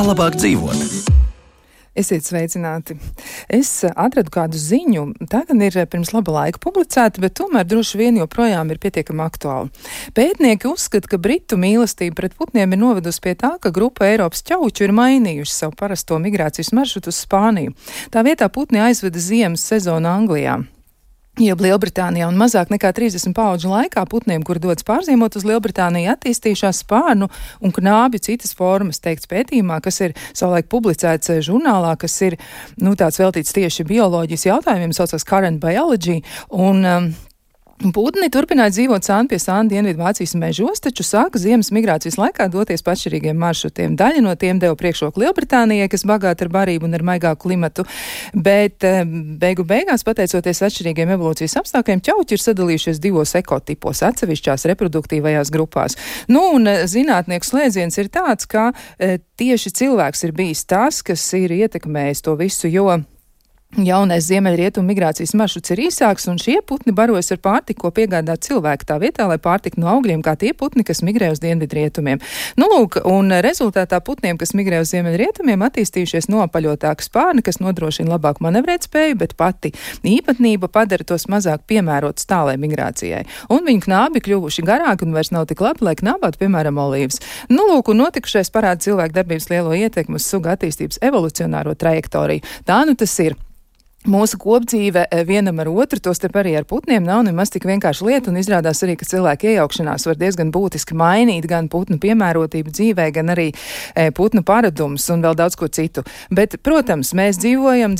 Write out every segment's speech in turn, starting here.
Kā labāk dzīvot? Esiet sveicināti. Es atradu kādu ziņu, tā gan ir pirms laba laika publicēta, bet tomēr droši vien joprojām ir pietiekami aktuāli. Pētnieki uzskata, ka Britu mīlestība pret putniem ir novedusi pie tā, ka grupa Eiropas ķauču ir mainījuši savu parasto migrācijas maršrutu uz Spāniju. Tā vietā putni aizveda ziemas sezonu Anglijā. Jo Lielbritānijā un mazāk nekā 30 paudžu laikā putniem, kuri dodas pārzīmot uz Lielbritāniju, attīstījušās spārnu un knābju citas formas, teikts pētījumā, kas ir savulaik publicēts žurnālā, kas ir, tāds veltīts tieši bioloģijas jautājumiem, saucās Current Biology, un putni turpināja dzīvot sāni pie sāna Dienvidu Vācijas mežos, taču sāka ziemas migrācijas laikā doties pa atšķirīgiem maršrutiem. Daļa no tiem deva priekšroku Lielbritānijai, kas bagāta ar barību un ar maigāku klimatu, bet beigu beigās, pateicoties atšķirīgiem evolūcijas apstākļiem, ķauķi ir sadalījušies divos ekotipos, atsevišķās reproduktīvajās grupās. Un zinātnieku slēdziens ir tāds, ka tieši cilvēks ir bijis tas, kas ir ietekmējis to visu, jo jaunais ziemeļrietumu migrācijas maršruts ir īsāks, un šie putni barojas ar pārtiku, ko piegādā cilvēki tā vietā, lai pārtiktu no augļiem, kā tie putni, kas migrē uz dienvidrietumiem. Un rezultātā putniem, kas migrē uz ziemeļrietumiem, attīstījušies noapaļotāki spārni, kas nodrošina labāku manevrēt spēju, bet pati īpatnība padara tos mazāk piemērotus tālai migrācijai. Un viņu knābi kļuvuši garāki un vairs nav tik labi, lai knābātu, piemēram, olīvas. Un notikušais parāda cilvēku darbības lielo ietekmi uz suga attīstības evolucionāro trajektoriju. Tā tas ir. Mūsu kopdzīve vienam ar otru, tostarp arī ar putniem, nav nemaz tik vienkārši lieta, un izrādās arī, ka cilvēku iejaukšanās var diezgan būtiski mainīt gan putnu piemērotību dzīvē, gan arī putnu paradumus un vēl daudz ko citu. Bet, protams, mēs dzīvojam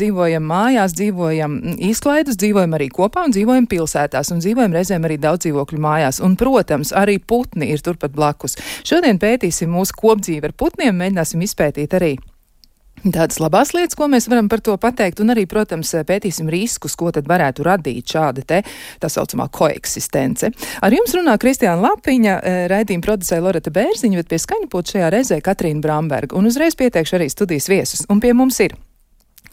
mājās, dzīvojam izklaidus, dzīvojam arī kopā un dzīvojam pilsētās un dzīvojam reizēm arī daudz dzīvokļu mājās. Un, protams, arī putni ir turpat blakus. Šodien pētīsim mūsu kopdzīvi ar putniem, mēģināsim izpētīt arī tādas labās lietas, ko mēs varam par to pateikt, un arī, protams, pētīsim riskus, ko tad varētu radīt šāda tā saucamā koeksistence. Ar jums runā Kristiāna Lapiņa, raidījuma producēja Loreta Bērziņa, bet pie skaņpulta šajā reizē Katrīna Bramberga, un uzreiz pieteikšu arī studijas viesus. Un pie mums ir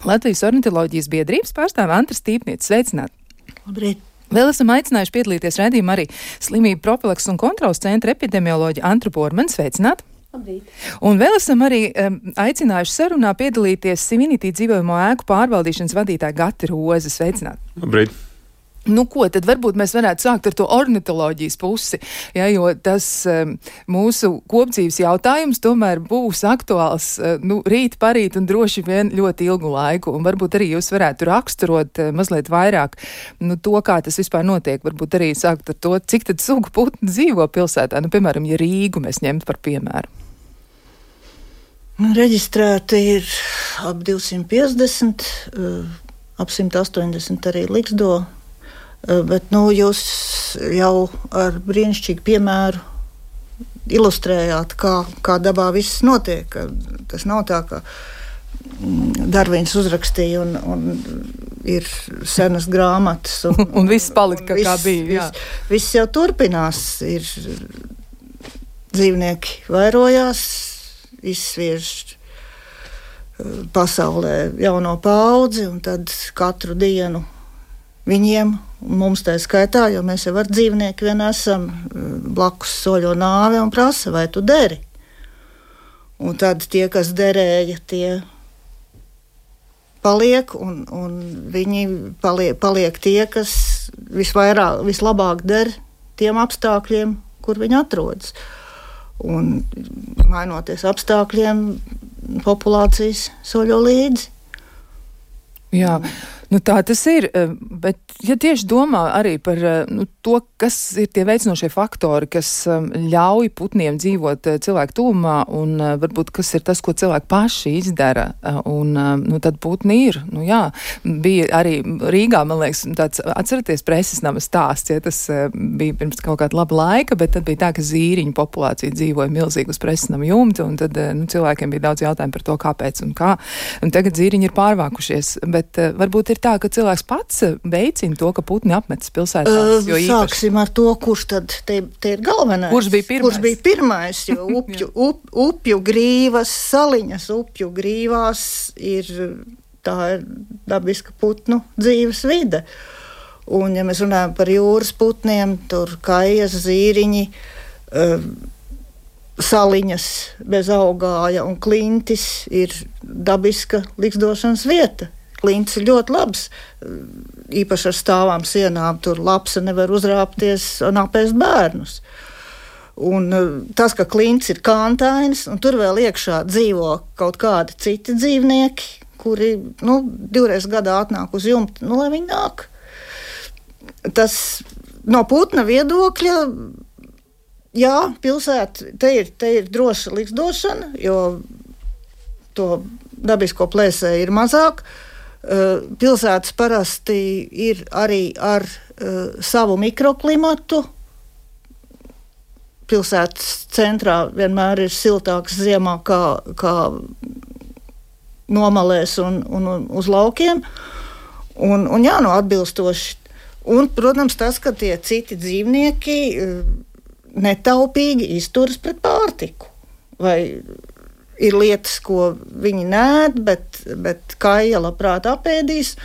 Latvijas ornitoloģijas biedrības pārstāve Antra Stīpniece. Sveicināti! Labrīt! Vēl esam aicinājuši piedalīties raidījumā arī slimību profilakses un kontrolas centra epidemioloģa Antru Bormanu. Sveicināti! Un vēl esam arī aicinājuši sarunā piedalīties Sivinity dzīvojamo ēku pārvaldīšanas vadītāja Gati Roze. Sveicināt! Labrīt! Ko tad varbūt mēs varētu sākt ar to ornitoloģijas pusi, jo tas mūsu kopdzīves jautājums tomēr būs aktuāls rīt, parīt un droši vien ļoti ilgu laiku. Un varbūt arī jūs varētu raksturot mazliet vairāk to, kā tas vispār notiek. Varbūt arī sākt ar to, cik tad sugu putni dzīvo pilsētā. Piemēram, ja Rīgu mēs ņemtu par piemēru. Reģistrēti ir ap 250, ap 180 arī Liksdo. Bet jūs jau ar brīnišķīgu piemēru ilustrējāt, kā dabā viss notiek. Tas nav tā, ka Darvins uzrakstīja un ir senas grāmatas. Un viss palika, kā bija. Viss jau turpinās. Ir dzīvnieki vairojās, izsviež pasaulē jauno paudzi, un tad katru dienu viņiem, un mums tā skaitā, jo mēs jau ar dzīvnieku vien esam, blakus soļo nāve un prasa, vai tu deri? Un tad tie, kas derēja, tie paliek, un viņi paliek tie, kas vislabāk der tiem apstākļiem, kur viņi atrodas. Un mainoties apstākļiem, populācijas soļo līdzi. Jā. Tā tas ir, bet ja tieši domā arī par to, kas ir tie veicinošie faktori, kas ļauj putniem dzīvot cilvēku tuvumā, un varbūt kas ir tas, ko cilvēki paši izdara, un tad putni ir. Bija arī Rīgā, man liekas, tāds, atceraties, preses nama stāsts, tas bija pirms kaut kāda laba laika, bet tad bija tā, ka zīriņu populācija dzīvoja milzīgi uz preses nama jumta, un tad cilvēkiem bija daudz jautājumu par to, kāpēc un kā. Un tagad zīriņi ir pārvākušies, bet varbūt ir tā, ka cilvēks pats veicina to, ka putni apmetas pilsētās? Sāksim ar to, kurš tad te ir galvenais. Kurš bija pirmais? Jo upju grīvas, saliņas upju grīvās ir dabiska putnu dzīves vide. Un, ja mēs runājam par jūras putniem, tur kaijas, zīriņi, saliņas bez augāja un klintis ir dabiska ligzdošanas vieta. Klintis ir ļoti labs, īpaši ar stāvām sienām, tur lapsa nevar uzrāpties un apēst bērnus. Un tas, ka klintis ir kāntainis, un tur vēl iekšā dzīvo kaut kādi citi dzīvnieki, kuri, 2 gadā atnāk uz jumta, lai viņi nāk. Tas no putna viedokļa, jā, pilsēta, te ir droša ligzdošana, jo to dabisko plēsēju ir mazāk. Pilsētas parasti ir arī ar savu mikroklimatu. Pilsētas centrā vienmēr ir siltāks ziemā kā nomalēs un uz laukiem. Un atbilstoši. Un, protams, tas, ka tie citi dzīvnieki netaupīgi izturas pret pārtiku. Vai ir lietas, ko viņi nēd, bet kaija labprāt apēdīs,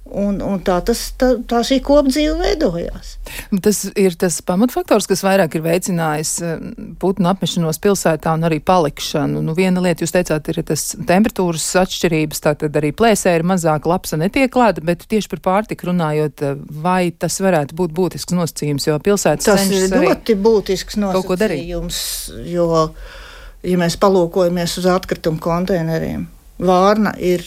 un tā šī kopdzīve veidojās. Tas ir tas pamatfaktors, kas vairāk ir veicinājis putnu apmešanos pilsētā un arī palikšanu. Viena lieta, jūs teicāt, ir tas temperatūras atšķirības, tātad arī plēsē ir mazāk, lapsa netiek klāta, bet tieši par pārtiku runājot, vai tas varētu būt būtisks nosacījums, jo pilsētas cenšas arī ļoti būtisks nosacījums, jo ja mēs palūkojamies uz atkritumu konteineriem, vārna ir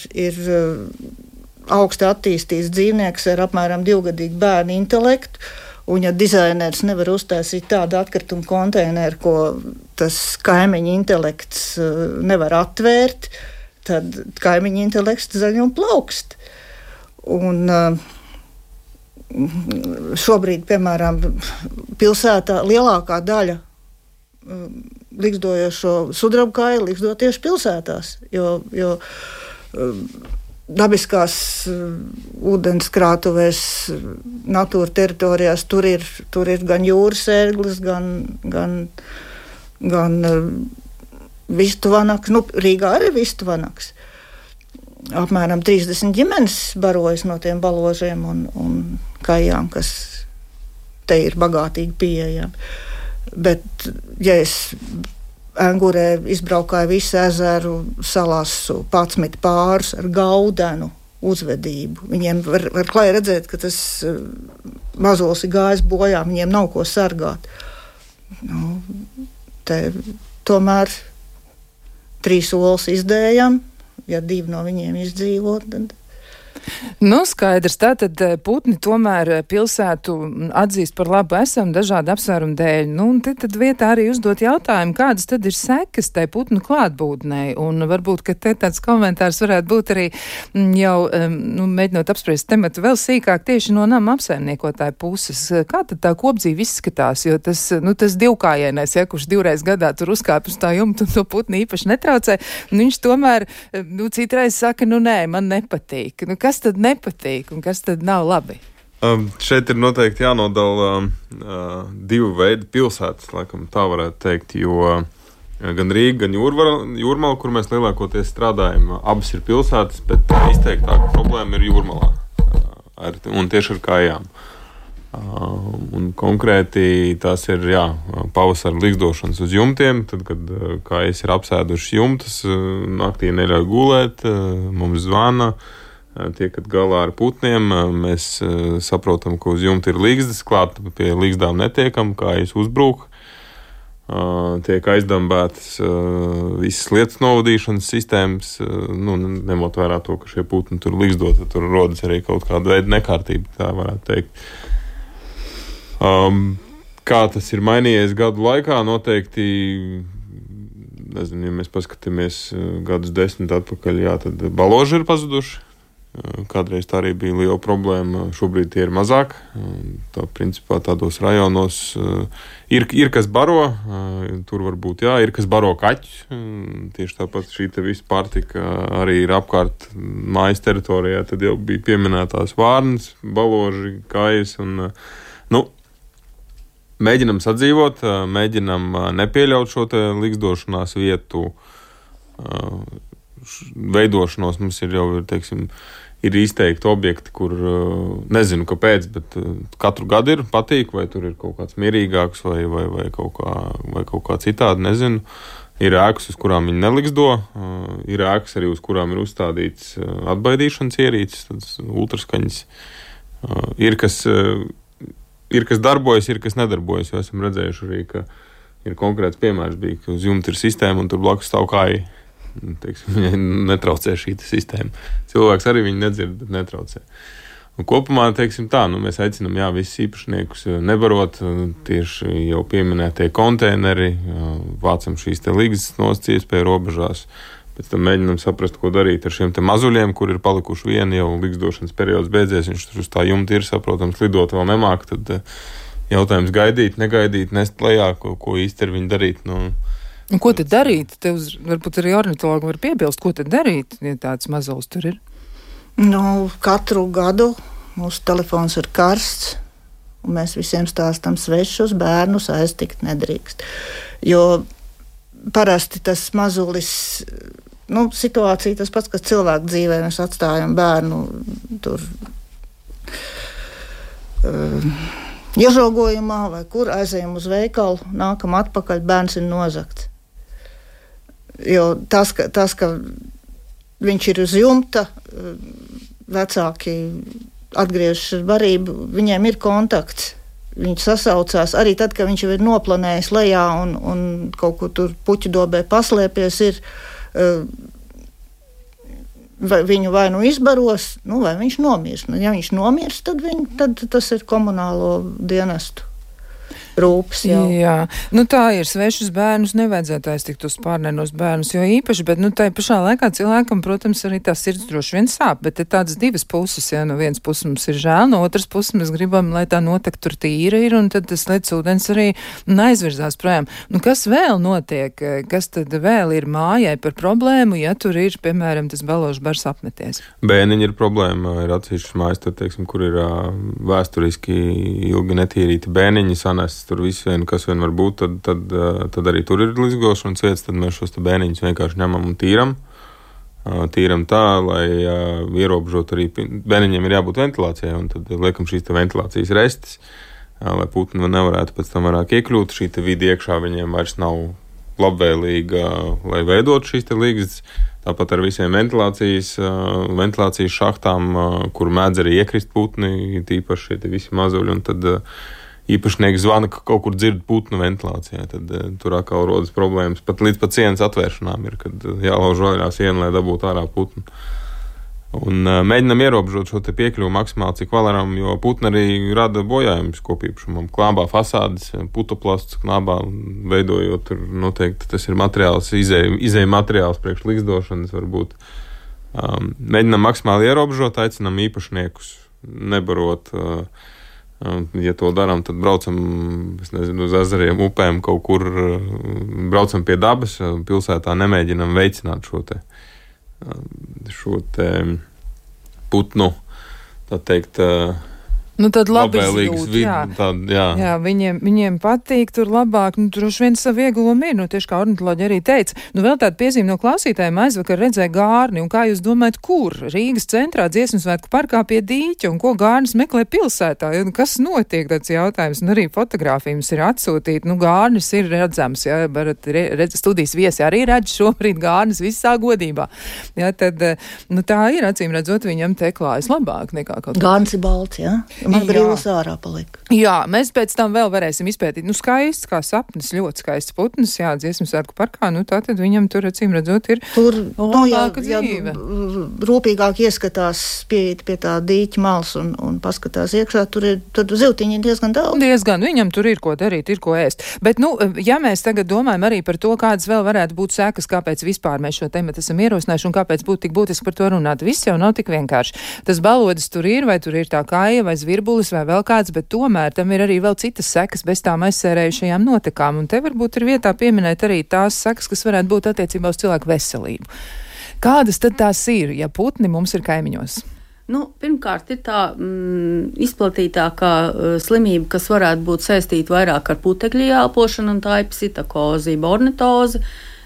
augsti attīstīts dzīvnieks ar apmēram 2-gadīgu bērnu intelektu, un ja dizainers nevar uztaisīt tādu atkritumu konteineru, ko tas kaimiņa intelekts nevar atvērt, tad kaimiņa intelekts zaļ un plaukst. Un šobrīd, piemēram, pilsētā lielākā daļa ligzdojošo sudrabkāju ligzdo tieši pilsētās, jo dabiskās ūdenskrātuvēs, natūra teritorijās tur ir gan jūras ērglis, gan vistuvanaks. Rīgā arī vistuvanaks. Apmēram 30 ģimenes barojas no tiem baložiem un kājām, kas te ir bagātīgi pieejami. Bet, ja es Engurē izbraukāju visu ezeru, salasu 11 pārus ar gaudenu uzvedību. Viņiem var klāji redzēt, ka tas mazols ir gājis bojā, viņiem nav ko sargāt. Tomēr 3 olas izdējam, ja 2 no viņiem izdzīvot, tad... Skaidrs, tātad putni tomēr pilsētu atzīst par labu esam dažādu apsvērumu dēļ. Tad vietā arī uzdot jautājumu, kādas tad ir sekas tai putnu klātbūtnei, un varbūt, ka te tāds komentārs varētu būt arī jau, mēģinot apspriest tematu vēl sīkāk tieši no nama apsaimniekotāja puses. Kā tad tā kopdzīve izskatās, jo tas divkājienais, kurš 2 gadā tur uzkāp uz tā jumta un to putni īpaši netraucē, un viņš tomēr, citreiz saka, nē, man nepatīk. Kas tad nepatīk un kas tad nav labi? Šeit ir noteikti jānodala 2 veidi pilsētas, laikam tā varētu teikt, jo gan Rīga, gan Jūrmala, kur mēs lielākoties strādājam, abas ir pilsētas, bet izteiktāka problēma ir Jūrmalā, un tieši ar kājām. Un konkrēti tās ir pavasara ligzdošanas uz jumtiem, tad, kad kājas ir apsēdušas jumtas, naktī neļauj gulēt, mums zvana, tiekat galā ar putniem, mēs saprotam, ka uz jumta ir ligzdas, klāt pie ligzdām netiekam, kājas uzbrūk, tiek aizdambētas visas lietas novadīšanas sistēmas, ņemot vērā to, ka šie putni tur ligzdot, tad tur rodas arī kaut kāda veida nekārtība, tā varētu teikt. Kā tas ir mainījies gadu laikā, noteikti, nezinu, ja mēs paskatāmies gadus 10 atpakaļ, tad baloži ir pazuduši. Kādreiz tā arī bija liela problēma, šobrīd tie ir mazāk. Tā, principā, tādos rajonos ir kas baro, tur varbūt ir kas baro kaķus. Tieši tāpat šī te visa pārtika arī ir apkārt mājas teritorijā, tad jau bija pieminētās vārnas, baloži, kājas un, mēģinam sadzīvot, mēģinam nepieļaut šo te ligzdošanās vietu veidošanos mums ir jau, teiksim, ir izteikti objekti, kur nezinu, kāpēc, bet katru gadu ir patīk, vai tur ir kaut kāds mierīgāks vai kaut kā citādi, nezinu. Ir ēkas, uz kurām viņi neliksdo, ir ēkas arī, uz kurām ir uzstādīts atbaidīšanas ierīces, tādas ultraskaņas. Ir, kas darbojas, ir, kas nedarbojas, jo esam redzējuši arī, ka ir konkrēts piemērs bija, ka uz jumta ir sistēma un tur blakus stāv kāji. Teiksim, viņai netraucē šī sistēma. Cilvēks arī viņu nedzird, bet netraucē. Un kopumā, teiksim tā, mēs aicinām, visus īpašniekus nebarot, tieši jau pieminētie konteineri, vācam šīs te līgas nosacītas pie robežās, pēc tam mēģinām saprast, ko darīt ar šiem te mazuļiem, kur ir palikuši vieni, jau līgsdošanas periods beidzies, viņš tur uz tā jumta ir, saprotams, lidot vēl nemāk, tad jautājums gaidīt, negaidīt, nest lejā, ko īsti ar viņu darīt, Un ko tad darīt? Tev varbūt arī ornitologi var piebilst, ko tad darīt, ja tāds mazulis tur ir? Katru gadu mūsu telefons ir karsts, un mēs visiem stāstam svešus bērnus aiztikt nedrīkst. Jo parasti tas mazulis, situācija tas pats, kas cilvēku dzīvē, mēs atstājam bērnu tur iežogojumā vai kur aizējam uz veikalu, nākam atpakaļ, bērns ir nozagts. Jo tas, ka viņš ir uz jumta, vecāki atgriežas ar barību, viņiem ir kontakts. Viņi sasaucās arī tad, kad viņš jau ir noplanējis lejā un kaut kur tur puķu dobē paslēpies, viņu vai izbaros, vai viņš nomirs. Ja viņš nomirs, tad tas ir komunālo dienestu rūpes jau. Jā, tā ir. Svešus bērnus nevajadzētu aiztikt uz pārnēnos bērnus, jo īpaši, bet tai pašā laikā cilvēkam, protams, arī tā sirds droši vien sāp, bet ir tādas divas puses, no vienas puses mums ir žēl, no otras puses mēs gribam, lai tā notek tur tīra ir, un tad tas lec ūdens arī aizvirzās projām. Kas vēl notiek? Kas tad vēl ir mājai par problēmu, ja tur ir, piemēram, tas baložu bars apmeties? Bēniņi ir problēma, ir atsevišķas mājas, tad, teiksim, kur ir vēsturiski ilgi netīrīti bēniņi sanest tur visu vien, kas vien var būt, tad arī tur ir līdzgošanas vietas, tad mēs šos bēniņus vienkārši ņemam un tīram. Tīram tā, lai ierobežot arī, bēniņiem ir jābūt ventilācijai, un tad liekam šīs ventilācijas restes, lai putni nevarētu pēc tam vairāk iekļūt, šī vidi iekšā viņiem vairs nav labvēlīga, lai veidot šīs līgas. Tāpat ar visiem ventilācijas šahtām, kur mēdz arī iekrist putni, tīpaši šie visi mazuļi, un tad īpašnieks zvana, ka kaut kur dzird putnu ventilācijā, tad tur atkal rodas problēmas. Pat līdz pat sienas atvēršanām ir, kad jālauž vaļā siena, lai dabūtu ārā putnu. Un mēģinam ierobežot šo te piekļuvu maksimāli, cik varam, jo putni arī rada bojājumus kopīpašumam. Klābā fasādes, putoplasts knābā, veidojot tur noteikti tas ir materiāls, izēja materiāls priekš līgsdošanas varbūt. Mēģinam maksimāli ierobežot, aicinam īpašniekus nebarot. Ja to darām, tad braucam, uz ezeriem, upēm, kaut kur braucam pie dabas, pilsētā nemēģinam veicināt šo te putnu, tā teikt, tad labi izjūt, jā, viņiem patīk tur labāk, droši vien savu ieguvumu ir, tieši kā ornitoloģi arī teica. Vēl tāda piezīme no klausītājiem, aizvakar redzēja gārni, un kā jūs domājat, kur? Rīgas centrā Dziesmu svētku parkā pie dīķa, un ko gārnis meklē pilsētā? Kas notiek, tāds jautājums? Un arī fotogrāfijas ir atsūtīt, gārnis ir redzams, jā, studijas viesi arī redz šobrīd gārnis visā godībā. Jā, tad, tā ir, acīm redzot, viņam te klājas labāk nekā kaut kā. Gārnis ir balts, jā? Man brīvs ārā palika. Jā, mēs pēc tam vēl varēsim izpētīt. Skaists, kā sapnis, ļoti skaists putns, jā, Dziesmu svētku parkā, tātad viņam tur, acīm redzot, ir labāka dzīve. Rūpīgāk ieskatās pie tā dīķa malas un paskatās iekšā, tur zivtiņi diezgan daudz. Diezgan, viņam tur ir ko darīt, ir ko ēst. Bet, ja mēs tagad domājam arī par to, kādas vēl varētu būt sekas, kāpēc vispār mēs šo tematu esam ierosinājuši un kāpēc būtu tik būtiski par to runāt, viss jau nav tik vienkārši. Tas balodis tur ir, vai tur ir tā kāja, vai virbulis vai vēl kāds, bet tomēr tam ir arī vēl citas sekas bez tām aizsērējušajām notekām. Un te varbūt ir vietā pieminēt arī tās sekas, kas varētu būt attiecībā uz cilvēku veselību. Kādas tad tās ir, ja putni mums ir kaimiņos? Pirmkārt, ir tā izplatītākā slimība, kas varētu būt saistīta vairāk ar putekļu ieelpošanu, un tā ir psitakozība, ornitoze.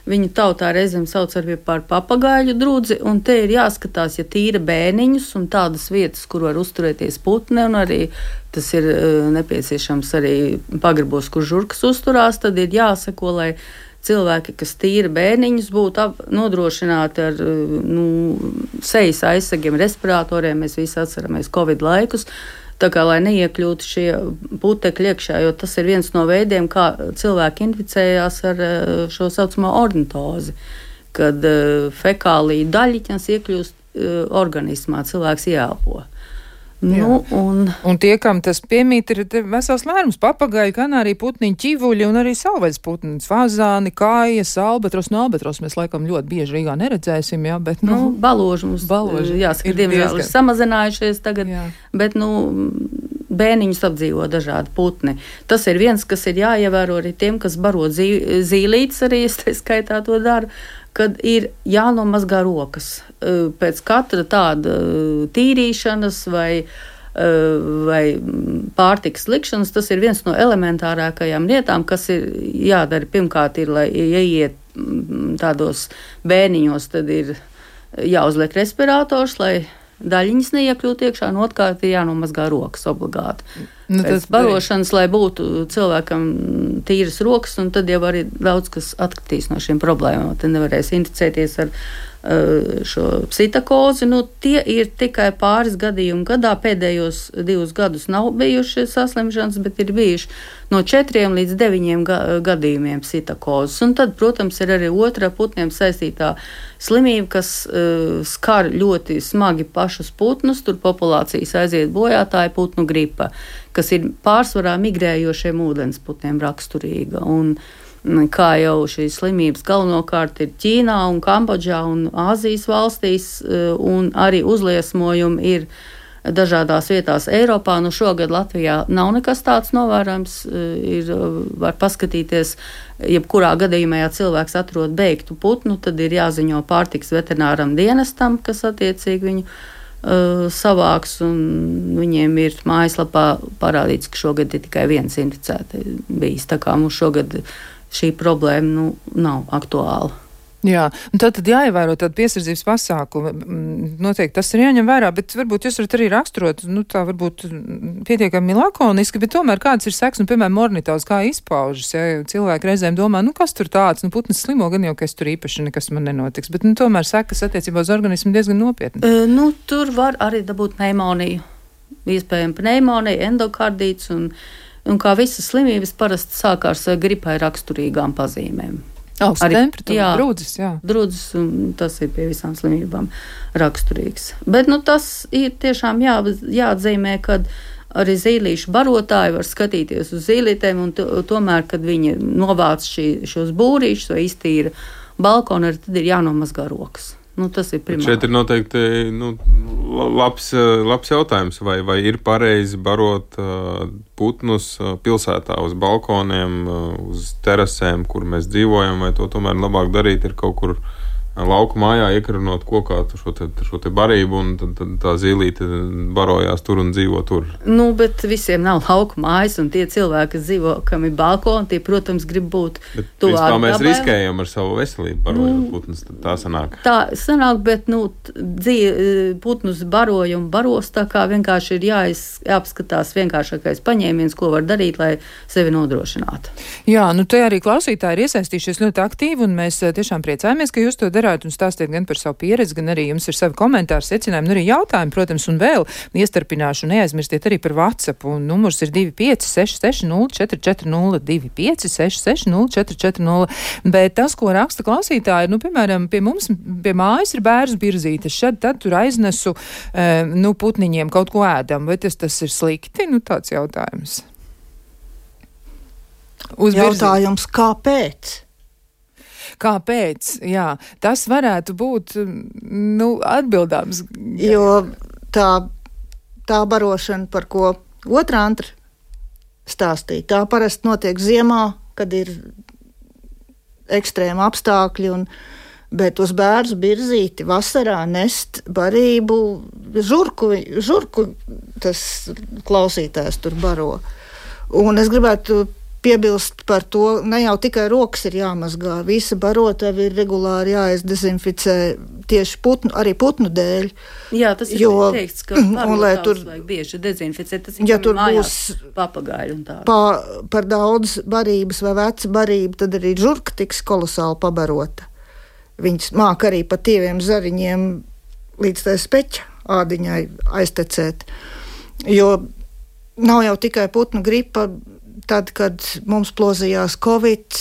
Viņu tautā reizēm sauc arī par papagaiļu drudzi, un te ir jāskatās, ja tīra bēniņus un tādas vietas, kur var uzturēties putni, un arī tas ir nepieciešams arī pagrabos, kur žurkas uzturās, tad ir jāseko, lai cilvēki, kas tīra bērniņus, būtu nodrošināti ar sejas aizsegiem, respiratoriem. Mēs visi atceramies Covid laikus. Tā kā, lai neiekļūtu šie putekļi iekšā, jo tas ir viens no veidiem, kā cilvēki inficējās ar šo saucamo ornitozi, kad fekāliju daļiņas iekļūst organismā, cilvēks ieelpo. Un tie, kam tas piemīt, ir vesels lērums, papagaļi, kanārija putniņi, ķivuļi un arī savvaļas putniņi, fazāni, kājas, albatros. Albatros mēs laikam ļoti bieži Rīgā neredzēsim, jā, bet, baloži mums, jāsaka, diemžēl ir samazinājušies tagad, bet, bēniņus apdzīvo dažādi putni. Tas ir viens, kas ir jāievēro arī tiem, kas baro zīlītes, arī es te skaitā to daru, kad ir jānomazgā rokas pēc katra tāda tīrīšanas vai pārtikas likšanas. Tas ir viens no elementārākajām lietām, kas ir jādara. Pirmkārt ir, lai ieiet tādos bēniņos, tad ir jāuzliek respirators, lai daļiņas neiekļūt iekšā, un otrkārt ir jānomazgā rokas obligāti. Pēc barošanas, lai būtu cilvēkam tīras rokas, un tad jau arī daudz kas atkritīs no šīm problēmām. Tad nevarēs inficēties ar šo psitakozi. Tie ir tikai pāris gadījumi gadā. Pēdējos 2 gadus nav bijuši saslimšanas, bet ir bijuši no 4 līdz 9 gadījumiem psitakozes. Un tad, protams, ir arī otra putniem saistītā slimība, kas skar ļoti smagi pašus putnus. Tur populācijas aiziet bojā, tā ir putnu gripa, kas ir pārsvarā migrējošiem ūdensputniem raksturīga. Un kā jau šīs slimības galvenokārt ir Ķīnā un Kambodžā un Āzijas valstīs, un arī uzliesmojumi ir dažādās vietās Eiropā. Šogad Latvijā nav nekas tāds novērojams. Var paskatīties, jebkurā gadījumā, ja cilvēks atrod beigtu putnu, tad ir jāziņo pārtikas veterināram dienestam, kas attiecīgi viņu savāks, un viņiem ir mājaslapā parādīts, ka šogad ir tikai viens inficēts bijis. Tā kā mums šogad šī problēma nav aktuāla. Jā, un tad jāievēro tādu piesardzības pasākumu. Noteikti tas ir jāņem vērā, bet varbūt jūs varat arī raksturot, tā varbūt pietiekami lakoniski, bet tomēr kāds ir seks, piemēram, ornitozi, kā izpaužas, ja cilvēki reizēm domā, kas tur tāds, putnis slimo, gan jau, ka es tur īpaši nekas man nenotiks, bet tomēr sekas attiecībā uz organismu diezgan nopietni. Tur var arī dabūt pneimoniju, iespējami pneimonija, endokardīts, un kā visas slimības parasti sākās gripai raksturīgām pazīmēm. Augsta temperatūra, drudzis, jā. Drudzis, un tas ir pie visām slimībām raksturīgs. Bet tas ir tiešām jāatzīmē, kad arī zīlīšu barotāji var skatīties uz zīlītēm, un tomēr, kad viņi novāc šos būrīšus vai iztīra balkonu, arī tad ir jānomazgā rokas. Tas ir primāri. Šeit ir noteikti labs jautājums, vai ir pareizi barot putnus pilsētā uz balkoniem, uz terasēm, kur mēs dzīvojam, vai to tomēr labāk darīt ir kaut kur lauku mājā, iekarnot kokā šo te barību, un tad tā zīlīte barojās tur un dzīvo tur. Bet visiem nav lauku mājas, un tie cilvēki, kas dzīvo, kam ir balkoni, tie, protams, grib būt tuvāk dabai. Mēs riskējam ar savu veselību, barojot putnus, tad tā sanāk. Tā sanāk, bet, putnus baroja un baros, tā kā vienkārši ir jāapskatās vienkāršākais paņēmiens, ko var darīt, lai sevi nodrošinātu. Jā, te arī klausītāji ir iesaistījušies ļoti aktīvi, un mēs tiešām priecājamies, ka jūs to darāt un stāstiet gan par savu pieredzi, gan arī jums ir savi komentāri, secinājumi, arī jautājumi, protams, un vēl iestarpināšu, neaizmirstiet arī par WhatsApp, un numurs ir 25660440, 25660440, bet tas, ko raksta klausītāji, piemēram, pie mums, pie mājas ir bērnu birzītes, tad tur aiznesu, putniņiem kaut ko ēdam, vai tas ir slikti? Tāds jautājums. Jautājums, kāpēc? Kāpēc? Jā, tas varētu būt atbildāms. Jo tā barošana, par ko otrā antra stāstīja, tā parasti notiek ziemā, kad ir ekstrēma apstākļi, bet uz bērnu birzīti vasarā nest barību žurku tas klausītājs tur baro. Un es gribētu piebilst par to, ne jau tikai rokas ir jāmazgā, visa barotava ir regulāri jāizdezinficē tieši arī putnu dēļ. Jā, tas ir teikts, ka barotavas vajag bieži dezinficēt, tas ir ja tur mājās papagaiļu un tā. Par daudz barības vai veca barība, tad arī žurka tiks kolosāli pabarota. Viņas māk arī pa tieviem zariņiem līdz tai speķa ādiņai aiztecēt. Jo nav jau tikai putnu gripa. Tad, kad mums plosījās Covid,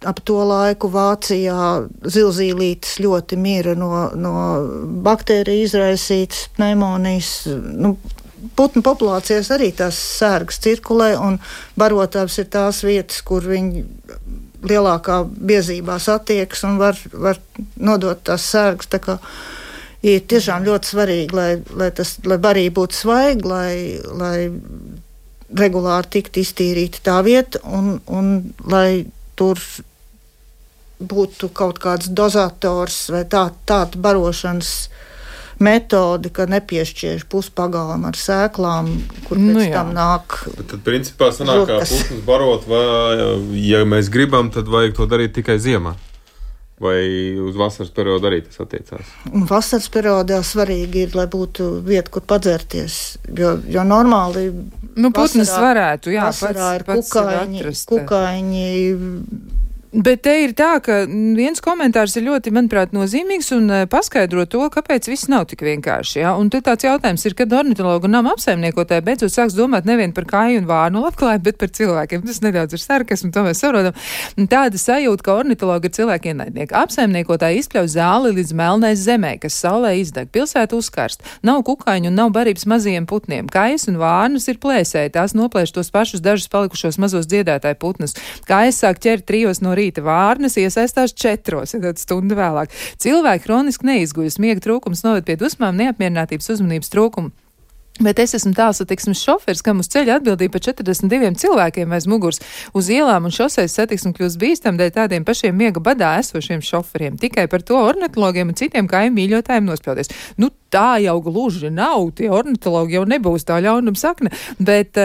ap to laiku Vācijā zilzīlītes ļoti mira no baktēriju izraisītas pneimonijas. Putnu populācijas arī tās sērgas cirkulē, un barotavas ir tās vietas, kur viņi lielākā biezībā satiekas un var nodot tās sērgas. Tā kā ir tiešām ļoti svarīgi, lai barība būtu svaiga, lai regulāri tikt iztīrīta tā vieta un lai tur būtu kaut kāds dozators vai tāda barošanas metode, ka nepiešķiež puspagalam ar sēklām, kur pēc tam nāk. Tad principā sanāk, kā putnus barot, vai, ja mēs gribam, tad vajag to darīt tikai ziemā. Vai uz vasaras periodu arī tas attiecās? Vasaras periodā svarīgi ir, lai būtu vieta, kur padzerties, jo normāli putnas varētu, vasarā ir kukaiņi. Bet te ir tā, ka viens komentārs ir ļoti, manuprāt, nozīmīgs un paskaidro to, kāpēc viss nav tik vienkārši. Ja? Un te tāds jautājums ir, kad ornitologu un nama apsaimniekotāji beidzot sāks domāt nevien par kāju un vārnu labklājību, bet par cilvēkiem. Tas nedaudz ir sarkasmu, to mēs saprotam. Tāda sajūta, ka ornitologi ir cilvēki ienaidnieki. Apsaimniekotāji izpļauj zāli līdz melnai zemē, kas saulē izdeg. Pilsēta uzkarst. Nav kukaiņu un nav barības mazajiem putniem. Kājas un vārnas ir plēsēji. Tās noplēš tos pašus dažus palikušos mazos dziedātāju putnus. Kājas sāk ķert 3 no rīta, vārnas iesaistās 4, tad stundu vēlāk. Cilvēki hroniski neizguļas, miega trūkums noved pie dusmām, neapmierinātības, uzmanības trūkumu. Bet es esmu tālsatiksmes šoferis, kam uz ceļa atbildība par 42 cilvēkiem aiz muguras. Uz ielām un šoseis satiksmi kļūst bīstam dēļ tādiem pašiem miega badā esošiem šoferiem. Tikai par to ornitologiem un citiem kāju mīļotājiem nospļauties. Tā jau gluži nav, tie ornitologi jau nebūs tā ļaunuma sakne, bet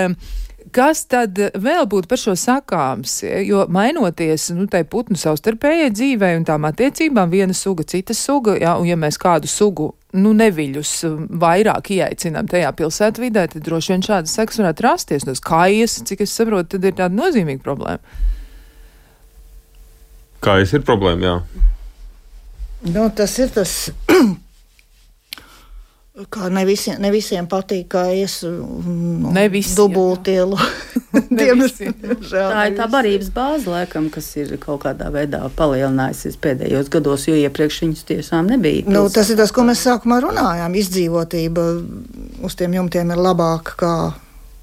kas tad vēl būtu par šo sakāms? Jo mainoties tai putnu savstarpējai dzīvei un tām attiecībām, viena suga, cita suga, un ja mēs kādu sugu neviļus vairāk ieaicinām tajā pilsētvidē, tad droši vien šādas sekas varētu rasties. No kājas, cik es saprotu, tad ir tāda nozīmīga problēma. Kājas ir problēma, jā. Tas ir tas... Kā ne visiem patīk kājas dubultielu. Tā ir tā barības bāze, laikam, kas ir kaut kādā veidā palielinājusies pēdējos gados, jo iepriekš viņus tiešām nebija. Tas ir tas, ko mēs sākumā runājām. Izdzīvotība uz tiem jumtiem ir labāka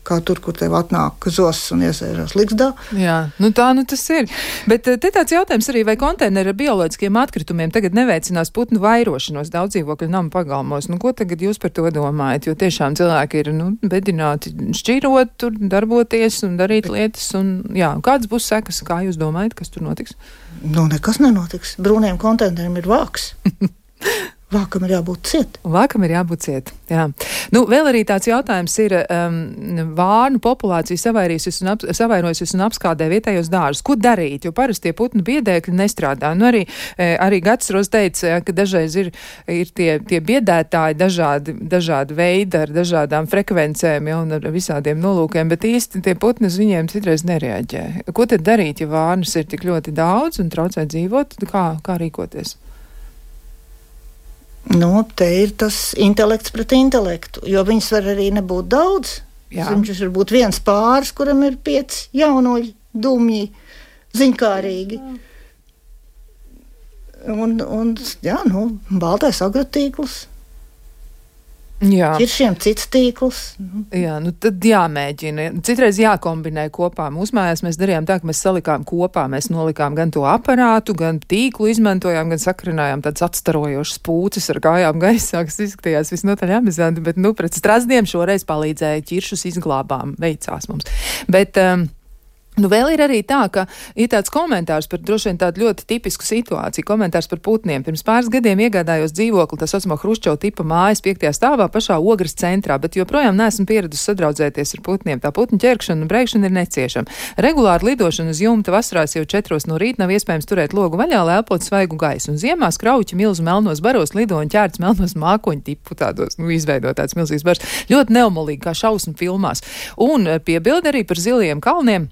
kā tur, kur tev atnāk zosis un iesēžās ligzdā. Jā, tā tas ir. Bet te tāds jautājums arī, vai konteineri ar bioloģiskiem atkritumiem tagad neveicinās putnu vairošanos daudz dzīvokļu namu pagalmos. Ko tagad jūs par to domājat? Jo tiešām cilvēki ir bedināti šķirot, tur darboties un darīt lietas. Kādas būs sekas? Kā jūs domājat, kas tur notiks? Nekas nenotiks. Brūniem konteineriem ir vāks. Vākam ir jābūt ciet. Jā. Vēl arī tāds jautājums ir vārnu populācija savairojusies un apskādē vietējos dārzus. Ko darīt? Jo parasti tie putnu biedēkļi nestrādā. Arī Gatsros teica, ka dažreiz ir tie biedētāji dažādi veidi ar dažādām frekvencēm un ar visādiem nolūkiem, bet īsti tie putni uz viņiem citreiz nereaģē. Ko tad darīt, ja vārnas ir tik ļoti daudz un traucē dzīvot? Kā rīkoties? Te ir tas intelekts pret intelektu, jo viņas var arī nebūt daudz. Viņš var būt viens pāris, kuram ir 5 jaunoļi, dumji, ziņkārīgi. Baltais agrotīkls. Ķiršiem cits tīkls. Tad jāmēģina. Citreiz jākombinē kopā. Mūsu mājās mēs darījām tā, ka mēs salikām kopā. Mēs nolikām gan to aparātu, gan tīklu izmantojām, gan sakrinājām tādas atstarojošas pūces ar kājām gaisā, kas izskatījās visnotaļ amizanti, bet pret strazdiem šoreiz palīdzēja ķiršus izglābām. Veicās mums. Bet Nu, vēl ir arī tā, ka ir tāds komentārs par droši vien tādu ļoti tipisku situāciju, komentārs par putniem. Pirms pāris gadiem iegādājos dzīvokli, tā saucamā Hruščova tipa mājas 5. stāvā pašā Ogres centrā, bet joprojām neesmu pieradusi sadraudzēties ar putniem. Tā putnu ķerkšana un breikšana ir neciešama. Regulāri lidošana uz jumta vasarās jau 4 no rīta nav iespējams turēt logu vaļā, lai elpotu svaigu gaisu. Un ziemās krauķi milzu melnos baros lido un ķērts melnos mākoņu tipu tādos, izveidot tāds milzīgs bars. Ļoti neumolīgi, kā šausmu filmās. Un piebildi arī par zilajiem kalniem.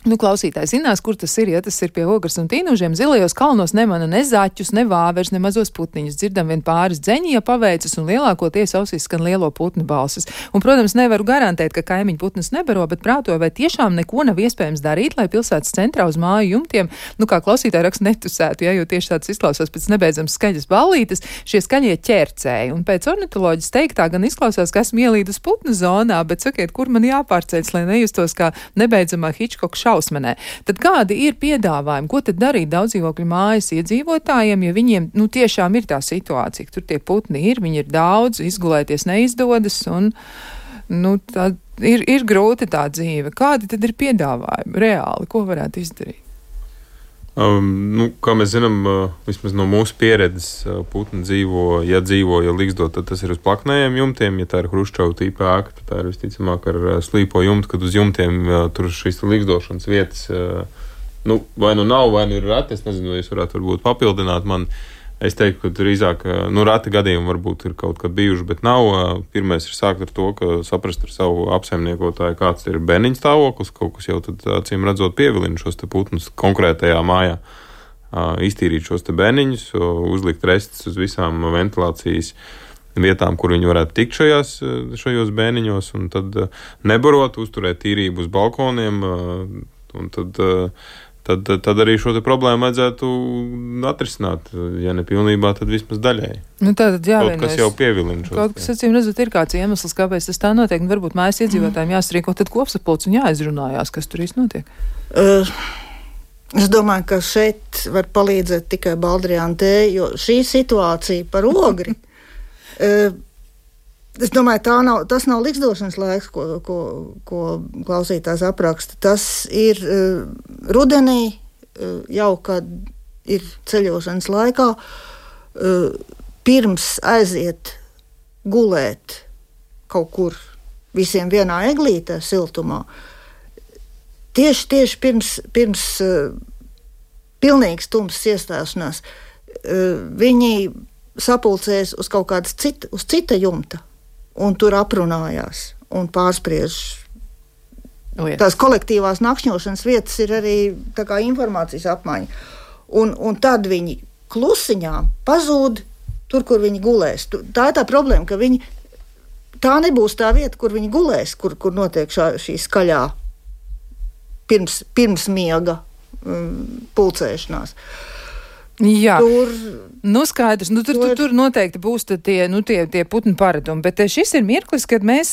Nu, klausītāji zinās, kur tas ir, ja tas ir pie Ogres un Tīnužiem. Zilajos kalnos nemana ne zaķus, ne vāvers, ne mazos putniņus. Dzirdam vien pāris dzeņi, ja paveicas, un lielākoties ausīs skan lielo putnu balsis. Un, protams, nevaru garantēt, ka kaimiņu putnas nebaro, bet prātoju, vai tiešām neko nav iespējams darīt, lai pilsētas centrā uz māju jumtiem, nu, kā klausītāji raksta, netusētu, ja, jo tieši tāds izklausās pēc nebeidzams skaļas ballītes, šie skaļie ķercēji. Un pēc ornitoloģijas teiktā gan izklausās, ka esmu ielīdus putnu zonā, bet sakiet, kur man jāpārceļas, lai nejustos kā nebeidzamā Hitchcock šausmenē. Tad kādi ir piedāvājumi? Ko tad darīt daudzdzīvokļu mājas iedzīvotājiem, ja viņiem, nu, tiešām ir tā situācija, ka tur tie putni ir, viņi ir daudz, izgulēties neizdodas un, nu, tā ir grūti tā dzīve. Kādi tad ir piedāvājumi reāli? Ko varētu izdarīt? Nu, kā mēs zinām, vismaz no mūsu pieredzes, putni dzīvo, ja līgzdot, tad tas ir uz plaknējiem jumtiem. Ja tā ir Hruščova tipa ēka, tad tā ir visticamāk ar slīpo jumtu, kad uz jumtiem tur šīs līgzdošanas vietas, nu, vai nu nav, vai nu ir reti. Es nezinu, vai jūs varētu varbūt papildināt man. Es teiktu, ka drīzāk, nu, reti gadījumi varbūt ir kaut kad bijuši, bet nav. Pirmais ir sākt ar to, ka saprast ar savu apsaimniekotāju, kāds ir bērniņu stāvoklis, kaut kas jau tad, acīm redzot, pievilina šos te putnus konkrētajā mājā. Iztīrīt šos te bērniņus, uzlikt restus uz visām ventilācijas vietām, kur viņi varētu tikt šajos bērniņos, un tad nebarot, uzturēt tīrību uz balkoniem, un tad arī šo te problēmu vajadzētu atrisināt. Ja ne pilnībā, tad vismaz daļēji. Nu, tātad kaut kas jau pievilina šo. Kaut kas, acīm redzot, ir kāds iemesls, kāpēc tas tā notiek, un varbūt mājas iedzīvotājiem jāsarīko tad kopsapulcs un jāizrunājās, kas tur īsti notiek. Es domāju, ka šeit var palīdzēt tikai Baldriāna T, jo šī situācija par Ogri, es domāju, tas nav liksdošanas laiks, ko klausītājs apraksta. Tas ir rudenī, jau kad ir ceļošanas laikā, pirms aiziet gulēt kaut kur visiem vienā eglītē siltumā. Tieši pirms pilnīgas tumsas iestāšanās viņi sapulcēs uz kaut kādas cita jumta. Un tur aprunājās un pārspriež. Tās kolektīvās nakšņošanas vietas ir arī tā kā informācijas apmaiņa. Un tad viņi klusiņā pazūd tur, kur viņi gulēs. Tā ir tā problēma, ka tā nebūs tā vieta, kur viņi gulēs, kur notiek šī skaļā pirms miega pulcēšanās. Jā, nu skaidrs, nu tur noteikti būs tie putnu paradumi, bet šis ir mirklis, kad mēs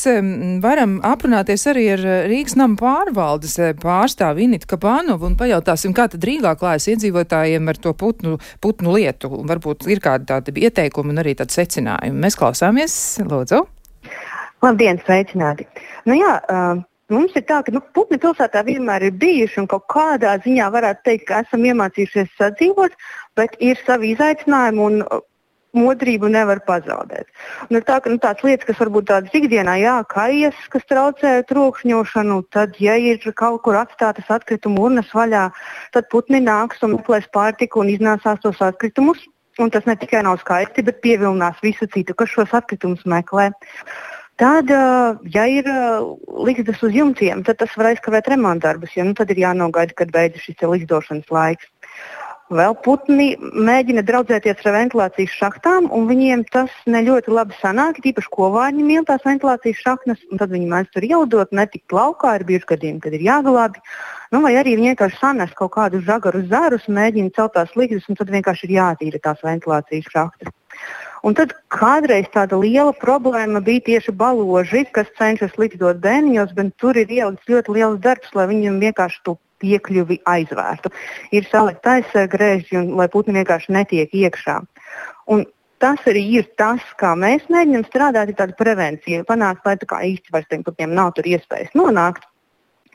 varam aprunāties arī ar Rīgas nama pārvaldes pārstāvi Initu Kapānovu un pajautāsim, kā tad Rīgā klājas iedzīvotājiem ar to putnu lietu, un varbūt ir kādi tādi ieteikumi un arī tādi secinājumi. Mēs klausāmies, lūdzu. Labdien, sveicināti. Nu jā, mums ir tā, ka putni pilsētā vienmēr ir bijuši un kaut kādā ziņā varētu teikt, ka esam iemācījušies sadzīvot, bet ir savi izaicinājumi un modrību nevar pazaudēt. Un ir tā, ka tādas lietas, kas varbūt tādas ikdienā, kajas, kas traucē trokšņošanu, tad, ja ir kaut kur atstātas atkritumu urnas vaļā, tad putni nāks un meklēs pārtiku un iznāsās tos atkritumus. Un tas ne tikai nav skaisti, bet pievilinās visu citu, kas šos atkritumus meklē. Tad, ja ir ligzdas uz jumtiem, tad tas var aizkavēt remontdarbus, jo tad ir jānogaida, kad beidzas šis ligzdošanas laiks. Vēl putni mēģina draudzēties ar ventilācijas šachtām, un viņiem tas ne ļoti labi sanāk, tīpaši kovārņi mīl tās ventilācijas šaknas, un tad viņi mēdz tur ielidot, netikt laukā, ir bijuši gadījumi, kad ir jāglābi. Vai arī viņi vienkārši sanes kaut kādu žagaru zarus, mēģina celt tās ligzdas, un tad vienkārši ir jātīra tās ventilācijas šachtas. Un tad kādreiz tāda liela problēma bija tieši baloži, kas cenšas ligzdot bērniņos, bet tur ir ielikts ļoti liels darbs, lai viņiem vienkārši to piekļuvi aizvērtu. Ir salikt aizsargrēži, lai putni vienkārši netiek iekšā. Un tas arī ir tas, kā mēs mēģinām strādāt, ir tāda prevencija, panākt, lai tā kā īsti vairs tiem putniem nav tur iespējas nonākt.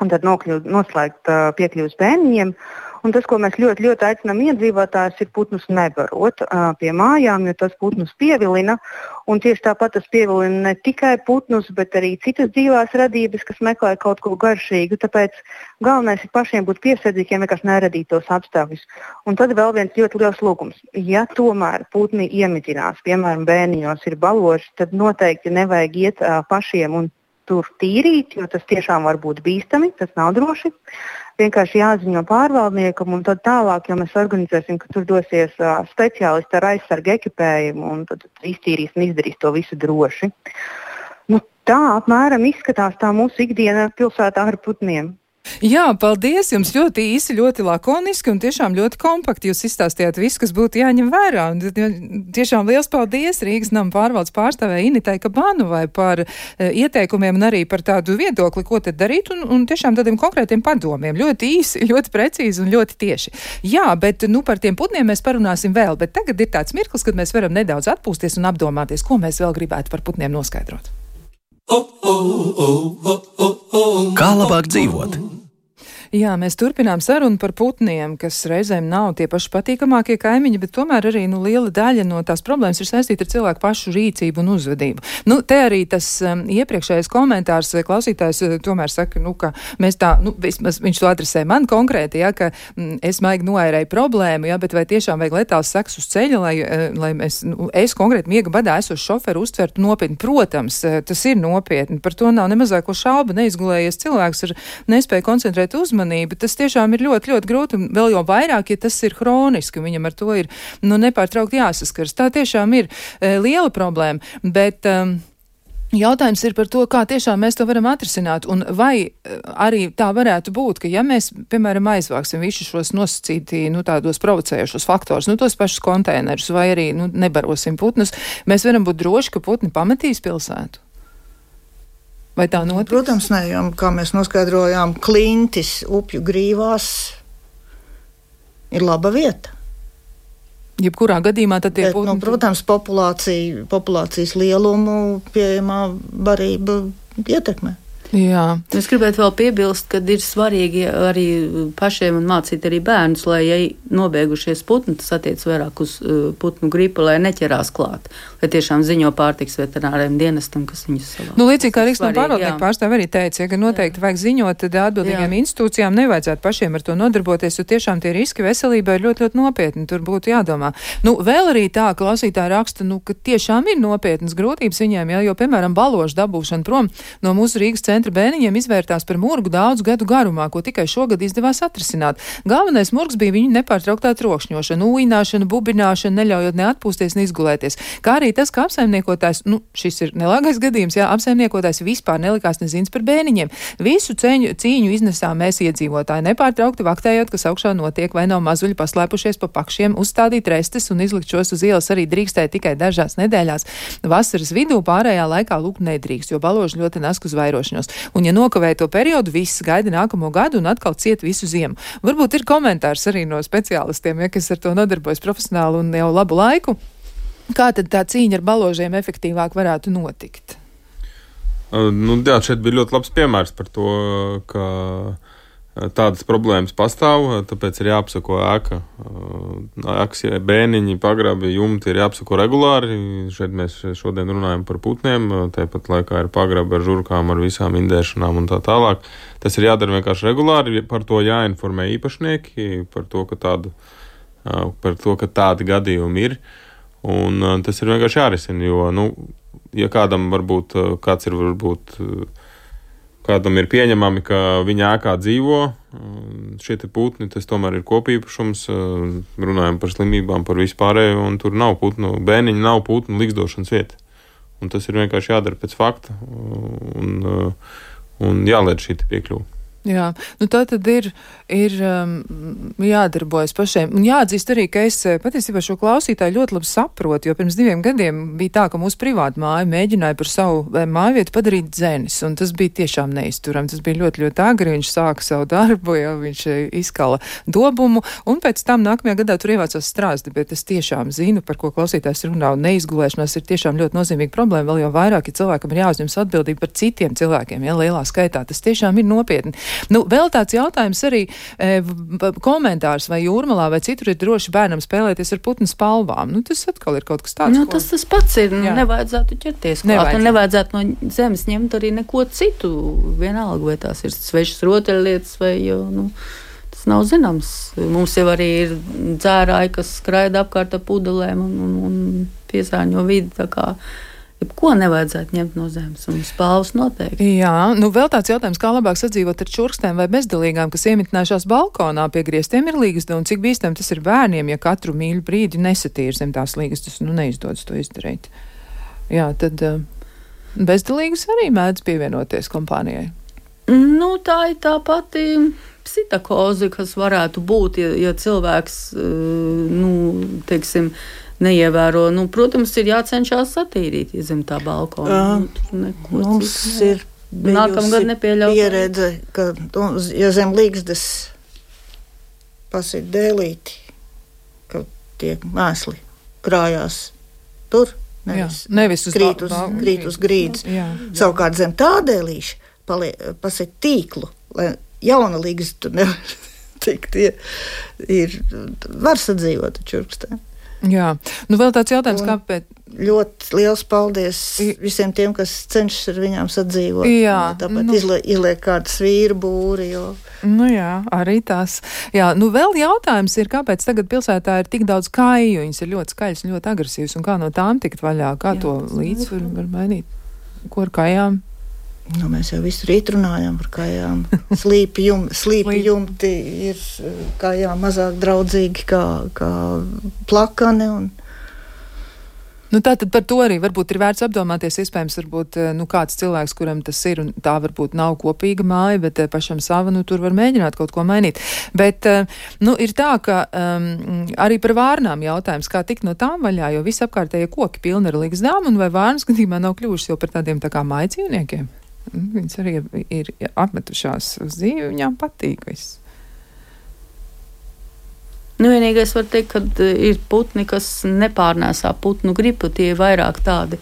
un tad noslēgt piekļuvas bērniņiem. Un tas, ko mēs ļoti, ļoti aicinām iedzīvotājus, ir putnus nebarot pie mājām, jo tas putnus pievilina. Un tieši tāpat tas pievilina ne tikai putnus, bet arī citas dzīvās radības, kas meklē kaut ko garšīgu. Tāpēc galvenais ir pašiem būt piesardzīgiem, vienkārši neradīt tos apstākļus. Un tad vēl viens ļoti liels lūgums. Ja tomēr putni iemidzinās, piemēram, bērniņos ir baloži, tad noteikti nevajag iet pašiem un tur tīrīt, jo tas tiešām var būt bīstami, tas nav droši. Vienkārši jāziņo pārvaldniekam un tad tālāk, jo mēs organizēsim, ka tur dosies speciālisti ar aizsargu ekipējumu un tad iztīrīs un izdarīs to visu droši. Tā apmēram izskatās tā mūsu ikdiena pilsētā ar putniem. Jā, paldies jums, ļoti īsi, ļoti lakoniski un tiešām ļoti kompakti. Jūs izstāstījāt visu, kas būtu jāņem vērā. Un tiešām liels paldies Rīgas nama pārvaldes pārstāvē Initai Kabanovai par ieteikumiem un arī par tādu viedokli, ko tad darīt un tiešām tādiem konkrētiem padomiem. Ļoti īsi, ļoti precīzi un ļoti tieši. Jā, bet par tiem putniem mēs parunāsim vēl, bet tagad ir tāds mirklis, kad mēs varam nedaudz atpūsties un apdomāties, ko mēs vēl gribētu par putniem noskaidrot. Kā labāk dzīvot? Jā, mēs turpinām sarunu par putniem, kas reizēm nav tie paši patīkamākie kaimiņi, bet tomēr arī liela daļa no tās problēmas ir saistīta ar cilvēku pašu rīcību un uzvedību. Te arī tas iepriekšējais komentārs klausītājs tomēr saka, ka mēs tā, vismaz viņš to adresē man konkrēti, ka es maigi noērēju problēmu, bet vai tiešām vajag letāls seks uz ceļa, lai es konkrēti miega badā esošu šoferu uztvertu nopietni. Protams, tas ir nopietni, par to nav nemazāko šaubu, neizgulējies cilvēks ar nespēju koncentrēt uzmanību. Tas tiešām ir ļoti, ļoti grūti, un vēl jau vairāk, ja tas ir hroniski, viņam ar to ir nepārtraukti jāsaskars. Tā tiešām ir liela problēma, bet jautājums ir par to, kā tiešām mēs to varam atrisināt, un vai arī tā varētu būt, ka ja mēs, piemēram, aizvāksim visus šos nosacīti, tādos provocējušos faktorus, tos pašus konteinerus, vai arī nebarosim putnus, mēs varam būt droši, ka putni pametīs pilsētu. Vai tā notiks? Protams, ne, jo, kā mēs noskaidrojām, klintis upju grīvās ir laba vieta. Jebkurā gadījumā tad tie putni... Protams, populācijas lielumu pieejamā barība ietekmē. Jā. Es gribētu vēl piebilst, ka ir svarīgi arī pašiem un mācīt arī bērnus, lai, ja nobeigušies putni, tas attiec vairāk uz putnu gripu, lai neķerās klāt, lai tiešām ziņo pārtiks veterināriem dienestam, kas viņus savā. Līdzīgi kā Rīgas nama pārvaldnieku pārstāve arī teica, ka noteikti vajag ziņot, tad atbildīgiem institūcijām nevajadzētu pašiem ar to nodarboties, jo tiešām tie riski veselībai ir ļoti, ļoti nopietni, tur būtu jādomā. Vēl arī tā, klausītāji raksta, ka tiešām ir nopietnas grūtības viņiem, jo, piemēram, balošu dabūšana prom no mūsu Rīgas centra bērniņiem izvērtās par murgu daudzu gadu garumā, ko tikai šogad izdevās atrisināt. Galvenais murgs bija viņu nepārtrauktā trokšņošana, ūjināšana, bubināšana, neļaujot ne atpūsties, ne izgulēties. Kā arī tas, ka apsaimniekotājs, šis ir nelāgais gadījums, apsaimniekotājs vispār nelikās nezins par bērniņiem. Visu cīņu iznesām mēs iedzīvotāji, nepārtraukti vaktējot, kas augšā notiek, vai nav mazuļi paslēpušies pa pakšiem, uzstādīt restes un izlikt šos uz ielas arī drīkstēja tikai dažās nedēļās. Vasaras vidū pārējā laikā lūk nedrīkst, jo baloži ļoti nask uz vairošanos. Un, ja nokavēja to periodu, viss gaida nākamo gadu un atkal ciet visu ziemu. Varbūt ir komentārs arī no speciālistiem, kas ar to nodarbojas profesionāli un jau labu laiku. Kā tad tā cīņa ar baložiem efektīvāk varētu notikt? Jā, šeit bija ļoti labs piemērs par to, ka tādas problēmas pastāv, tāpēc ir jāapsako ēka. Ēkas, bēniņi, pagrabi, jumti ir jāapsako regulāri. Šeit mēs šodien runājam par putniem, tāpat laikā ir pagrabi ar žurkām, ar visām indēšanām un tā tālāk. Tas ir jādara vienkārši regulāri, par to jāinformē īpašnieki, par to, ka tādi gadījumi ir. Un tas ir vienkārši jārisina, jo, ja kādam kādam ir pieņemami, ka viņa ēkā dzīvo šie putni, tas tomēr ir kopīpašums, runājam par slimībām, par vispārējo, un tur nav putnu, bēniņi nav putnu likstošanas vieta. Un tas ir vienkārši jādara pēc fakta, un jāliek šī piekļuva. Jā, tā tad ir jādarbojas pašiem. Un jāatzīst arī, ka es patiesībā šo klausītāju ļoti labi saprotu, jo pirms 2 gadiem bija tā, ka mūsu privāta māja mēģināja par savu mājvietu padarīt dzenis, un tas bija tiešām neizturami. Tas bija ļoti, ļoti agri, viņš sāka savu darbu, viņš izkala dobumu, un pēc tam nākamajā gadā tur ievācās strāzdi, bet es tiešām zinu, par ko klausītājs runā, un neizgulēšanās ir tiešām ļoti nozīmīga problēma, vēl jau vairāk, ja cilvēkam ir jāuzņemas atbildība par citiem cilvēkiem, lielā skaitā. Tas tiešām ir nopietni. Nu, vēl tāds jautājums arī, komentārs vai Jūrmalā vai citur ir droši bērnam spēlēties ar putnu spalvām. Nu, tas atkal ir kaut kas tāds. Nu, tas pats ir. Nevajadzētu ķerties klāt. Nevajadzētu no zemes ņemt arī neko citu. Vienalga, vai tās ir svešas rotaļlietas vai, tas nav zināms. Mums jau arī ir dzērāji, kas skraida apkārt ar pudelēm un piesārņo vidi, tā kā ko nevajadzētu ņemt no zemes, un spalvas noteikti. Jā, vēl tāds jautājums, kā labāk sadzīvot ar čurkstēm vai bezdalīgām, kas iemitinājušās balkonā pie griestiem ir līgsta, un cik bīstam tas ir bērniem, ja katru mīļu brīdi nesatīr zem tās līgastas, neizdodas to izdarīt. Jā, tad bezdalīgas arī mēdz pievienoties kompānijai. Tā ir tā pati psitakoze, kas varētu būt, ja cilvēks, teiksim, neievēro. Protams, ir jācenšas satīrīt, ja zem tā balkona. Mums ir nākamgad nepieļaut pieredze, ka, ja zem līgstas pasit dēlīti, ka tiek mēsli krājās tur, nevis krīt uz grīdas. Savukārt zem tā dēlīša pasit tīklu, lai jauna līgsta tur nevar tikt. Var sadzīvot ar čurkstēm. Jā, vēl tāds jautājums, kāpēc? Ļoti liels paldies visiem tiem, kas cenšas ar viņām sadzīvot. Jā. Tāpat izliek kādu svīru būri, jo... Jā, arī tās. Jā, vēl jautājums ir, kāpēc tagad pilsētā ir tik daudz kāju, viņas ir ļoti skaļas un ļoti agresīvas, un kā no tām tikt vaļā, kā to līdzsvaru var mainīt? Ko ar kājām? Mēs jau visu rīt runājām par kājām. Slīpi jumti ir kājām mazāk draudzīgi kā plakani. Tātad par to arī varbūt ir vērts apdomāties. Iespējams, varbūt kāds cilvēks, kuram tas ir, un tā varbūt nav kopīga māja, bet pašam sava, tur var mēģināt kaut ko mainīt. Bet, ir tā, ka arī par vārnām jautājums, kā tikt no tām vaļā, jo visapkārtējie koki pilni ar ligzdām, un vai vārnas gadījumā nav kļuvušas jau par tādiem tā kā māja dzīvniekiem? Viņas arī ir apmetušās uz dzīvi, viņām patīk viss. Vienīgais var teikt, ka ir putni, kas nepārnēsā putnu gripu, tie ir vairāk tādi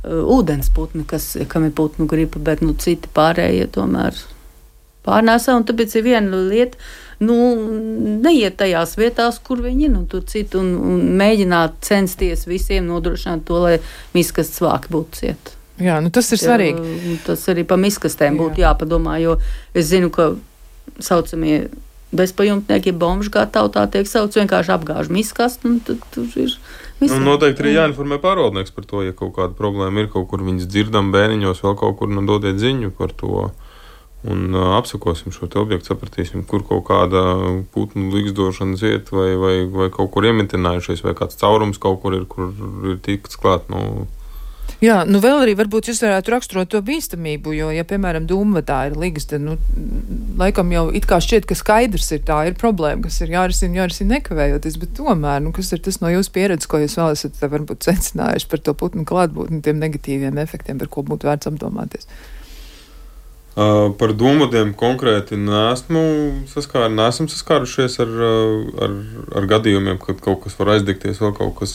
ūdens putni, kam ir putnu gripa, bet citi pārējie tomēr pārnēsā, un tāpēc ir viena lieta, neiet tajās vietās, kur viņi ir, tur citu, un mēģināt censties visiem nodrošināt to, lai miskastes vāki būtu cieti. Jā, tas ir svarīgi. Tas arī pa miskastēm būtu jāpadomā, jo es zinu, ka saucamie bezpajumtnieki, bomži kā tautā tiek sauc, vienkārši apgāž miskastu, un tad tur ir viss. Noteikti arī jāinformē pārvaldnieks par to, ja kaut kāda problēma ir, kaut kur viņas dzirdam bēniņos, vēl kaut kur, dodiet ziņu par to, un apsakosim šo te objektu, sapratīsim, kur kaut kāda putnu ligzdošanas iet, vai kaut kur iemitinājušies, vai kāds caurums kaut kur ir tikts klāt, Jā, vēl arī varbūt jūs varētu raksturot to bīstamību, jo, ja, piemēram, dūmvadā ir ligzda, laikam jau it kā šķiet, ka skaidrs ir tā, ir problēma, kas ir jārisina nekavējoties, bet tomēr, kas ir tas no jūsu pieredzes, ko jūs vēl esat varbūt secinājuši par to putnu klātbūtni, tiem negatīviem efektiem, par ko būtu vērts apdomāties? Par dūmvadiem konkrēti neesam saskārušies ar gadījumiem, kad kaut kas var aizdegties, vēl kaut kas...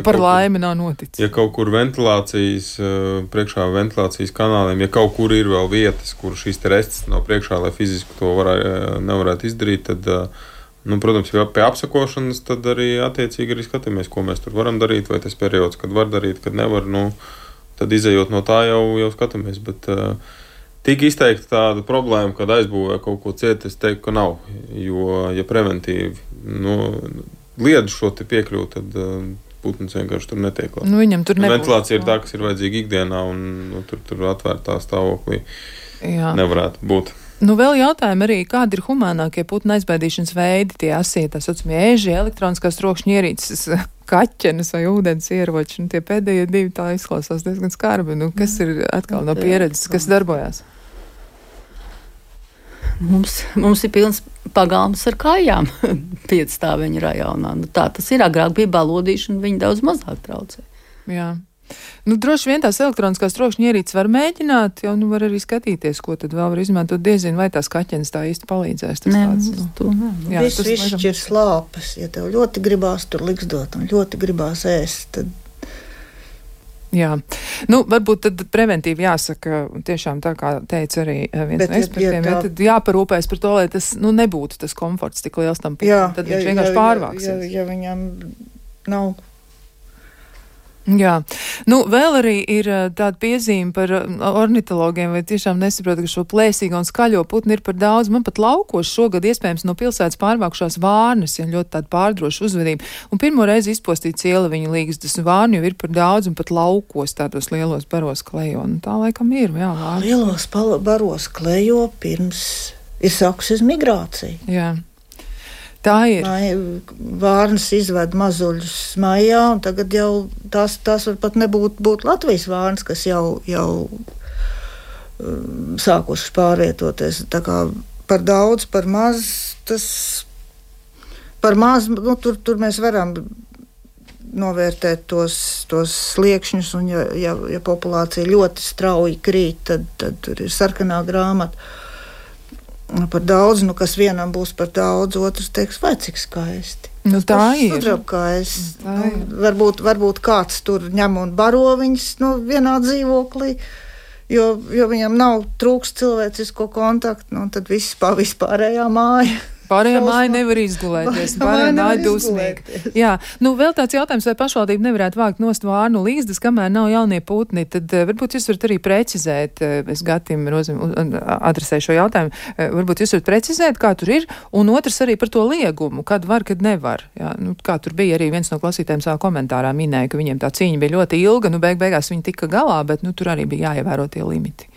par laimi nav noticis. Ja kaut kur priekšā ventilācijas kanāliem, ja kaut kur ir vēl vietas, kur šīs te restes nav priekšā, lai fiziski to nevarētu izdarīt, tad, protams, ja pie apsakošanas, tad arī attiecīgi arī skatāmies, ko mēs tur varam darīt, vai tas periods, kad var darīt, kad nevar, tad izejot no tā jau skatāmies, bet... Tik izteikti tāda problēma, kad aizbūvē kaut ko ciet, es teiktu, ka nav. Jo, ja preventīvi liedz šo te piekļūt, tad putns vienkārši tur netiek klāt. Viņam tur nebūs. Ventilācija ir tā, kas ir vajadzīga ikdienā, un tur atvērtā stāvoklī nevarētu būt. Vēl jautājumi arī, kādi ir humānākie putnu aizbaidīšanas veidi, tie asie, tā saucamie ēži, elektroniskās trokšņa ierīces, kaķenes vai ūdens ieroči, tie pēdējie divi tā izklausās diezgan skarbi. Kas ir atkal no pieredzes, kas darbojās? Mums ir pilns pagalms ar kājām piecstāveņu rajonā. Tā tas ir, agrāk bija balodīšana, viņi daudz mazāk traucē. Jā. Droši vien tās elektroniskās trokšņa ierīces var mēģināt, jau var arī skatīties, ko tad vēl var izmantot. Diezinu, vai tās kaķenes tā īsti palīdzēs. Viss šķir slāpes. Ja tev ļoti gribās tur ligzdot un ļoti gribās ēst, tad Jā, varbūt tad preventīvi jāsaka, tiešām tā kā teica arī viens no ekspertiem, tad jāparūpēs par to, lai tas, nebūtu tas komforts tik liels tam putim, tad viņš vienkārši pārvāksies. Ja viņam nav. Jā, vēl arī ir tāda piezīme par ornitologiem, vai tiešām nesaprot, ka šo plēsīgo un skaļo putni ir par daudz. Man pat laukos šogad iespējams no pilsētas pārvākušās vārnas, ja ļoti tāda pārdroša uzvedība. Un pirmo reizi izpostīja cieleviņu līgstas, vārni jau ir par daudz, un pat laukos tādos lielos baros klejo. Un tā laikam ir, jā, vārnas. Lielos baros klejo pirms ir sākusies migrācija. Jā. Tā ir. Vārnas izved mazuļus maijā, un tagad jau tās var pat būt Latvijas vārnas, kas jau sākušas pārvietoties. Tā kā par daudz, par maz, tur mēs varam novērtēt tos sliekšņus, un ja populācija ļoti strauji krīt, tad tur ir sarkanā grāmata. Par daudz, kas vienam būs par daudz, otrs teiks, vai cik skaisti. Tā ir. Sudrabkājs. Varbūt kāds tur ņem un baro viņus vienā dzīvoklī, jo viņam nav trūks cilvēcisko kontaktu, tad vispārējā māja. Pārējā māja nevar izgulēties, pārējā māja dusmīga. Jā, vēl tāds jautājums, vai pašvaldība nevarētu vākt nost vārnu līgstas, kamēr nav jaunie putni, tad varbūt jūs varat arī precizēt, es Gatim adresēju šo jautājumu, varbūt jūs varat precizēt, kā tur ir, un otrs arī par to liegumu, kad var, kad nevar. Jā, kā tur bija arī viens no klausītājiem savā komentārā minēja, ka viņiem tā cīņa bija ļoti ilga, beigās viņi tika galā, bet tur arī bija jāievēro tie limiti.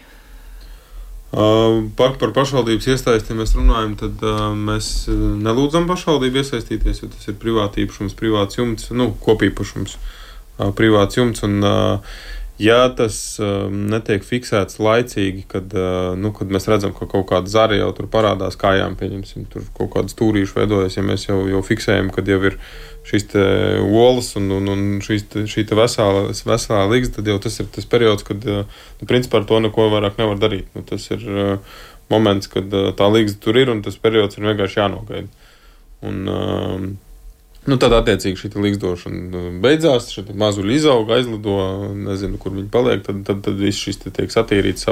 Par pašvaldības iesaisti mēs runājam, tad mēs nelūdzam pašvaldību iesaistīties, jo tas ir privāti īpašums, privāts jumts, kopīpašums, privāts jumts, un ja tas netiek fiksēts laicīgi, kad mēs redzam, ka kaut kāda zara jau tur parādās kājām, pieņemsim, tur kaut kāda stūrīša veidojas, ja mēs jau fiksējam, kad jau ir šīs te olas un šī te veselā līgsta, tad jau tas ir tas periods, kad principā ar to neko vairāk nevar darīt. Tas ir moments, kad tā līgsta tur ir un tas periods ir vienkārši jānogaida. Un tad attiecīgi šī līgstošana beidzās, šī mazuļi izauga, aizlido, nezinu, kur viņi paliek, tad viss šis tiek satīrīts,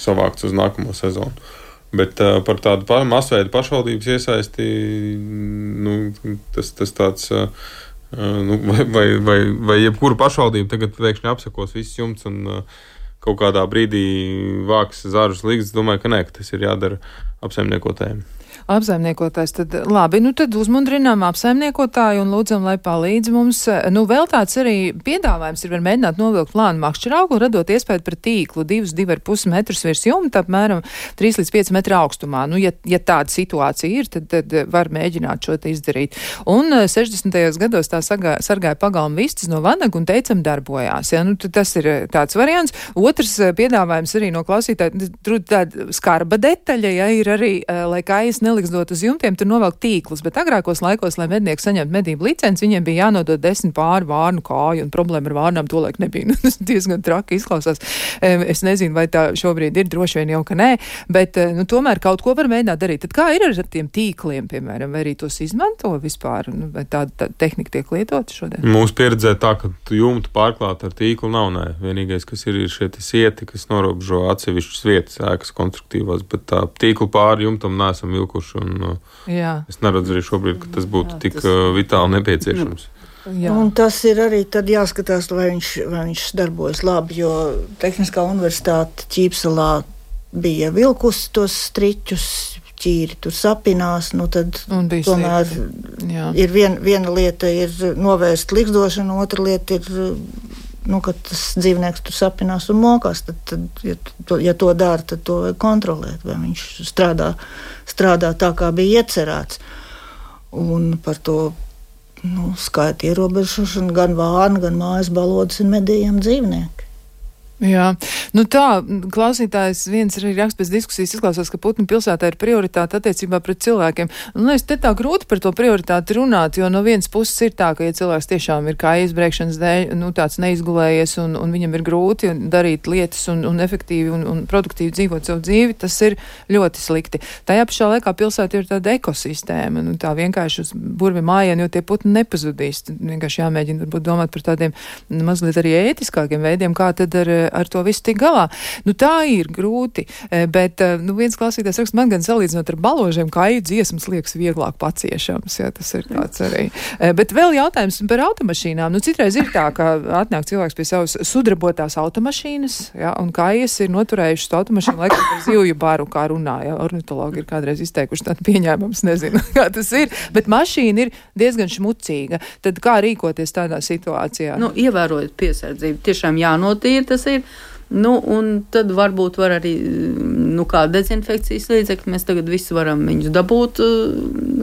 savākts uz nākamo sezonu. Bet par tādu masveidu pašvaldības iesaisti, tas tāds, vai jebkura pašvaldība tagad pēkšņi apsakos viss jumts un kaut kādā brīdī vāks zarus līgstas, domāju, ka nē, ka tas ir jādara apsaimniekotājiem. Apsaimniekotājs, tad labi, tad uzmundrinām apsaimniekotāju un lūdzam, lai palīdz mums. Vēl tāds arī piedāvājums ir, var mēģināt novilkt plānu makšķeraugu, radot iespēju par tīklu 2,5 metrus virs jumta, apmēram 3 līdz 5 metru augstumā. Ja tāda situācija ir, tad var mēģināt šo te izdarīt. Un 60. gados tā sargāja pagalma vistas no vanagu un teicam darbojās. Ja? Tas ir tāds variants. Otrs piedāvājums arī no klausītāja, tur tāda skarba detaļa, ja ir arī, lai kājas neliksdot uz jumtiem, tur novelk tīklus, bet agrākos laikos, lai mednieki saņemtu medību licenci, viņiem bija jānodod 10 pāri vārnu kāju, un problēma ar vārnām tolaik nebija. Tas diezgan traki izklausās. Es nezinu, vai tā šobrīd ir, droši vien jau, ka nē, bet tomēr kaut ko var mēģināt darīt. Tad kā ir ar tiem tīkliem, piemēram, vai arī tos izmanto vispār, vai tāda tehnika tiek lietota šodien? Mūsu pieredzē tā, ka jumtu pārklāt ar tīklu nav, nē. Vienīgais, kas ir šie sieti, kas norobežo atsevišķas vietas, ēkas konstruktīvās, bet tā tīklu pāri jumtam neesam vilkuši. Es neredzu arī šobrīd, ka tas būtu tik vitāli nepieciešams. Jā. Un tas ir arī tad jāskatās, vai viņš darbojas labi, jo Tehniskā universitāte Ķīpselā bija vilkusi tos striķus, ķīri tur sapinās, tad tomēr ir viena lieta ir novērst ligzdošanu, otra lieta ir kad tas dzīvnieks tur sapinās un mokās, tad ja to dara, tad to vajag kontrolēt, vai viņš strādā tā, kā bija iecerēts. Un par to skaita ierobežošanu gan vārna, gan mājas balodas ir medījami dzīvnieki. Jā, nu tā, klausītājs viens arī raksts pēc diskusijas izklausās, ka Putnu pilsētā ir prioritāte attiecībā pret cilvēkiem. Un es te tā grūti par to prioritāti runāt, jo no vienas puses ir tā, ka, ja cilvēks tiešām ir kā izbrēkšanas dēļ, nu tāds neizgulējies un viņam ir grūti darīt lietas un efektīvi un produktīvi dzīvot savu dzīvi, tas ir ļoti slikti. Tajā pašā laikā pilsēta ir tāda ekosistēma, nu tā vienkārši uz burvi mājienu, jo tie putni nepazudīs. Vienkārši jāmēģina varbūt domāt par tādiem mazliet arī ētiskākiem veidiem, kā tad ar to visu tik galā. Nu tā ir grūti, bet viens klausītājs raksta, man gan salīdzinot ar baložiem, kāju dziesmas liekas vieglāk paciešams, jā, tas ir tāds arī. Bet vēl jautājums par automašīnām. Nu citreiz ir tā, ka atnāk cilvēks pie savas sudrabotās automašīnas, jā, un kājas ir noturējušas automašīnu laikam par zivju baru, kā runāja. Ornitologi ir kādreiz izteikuši tādu pieņēmums, nezinu, kā tas ir, bet mašīna ir diezgan šmucīga. Tad kā rīkoties tādā situācijā? Nu, ievērojot piesardzību, tiešām jānotīra tas ir. Nu, un tad varbūt var arī, kā dezinfekcijas līdzekļi, mēs tagad visi varam viņus dabūt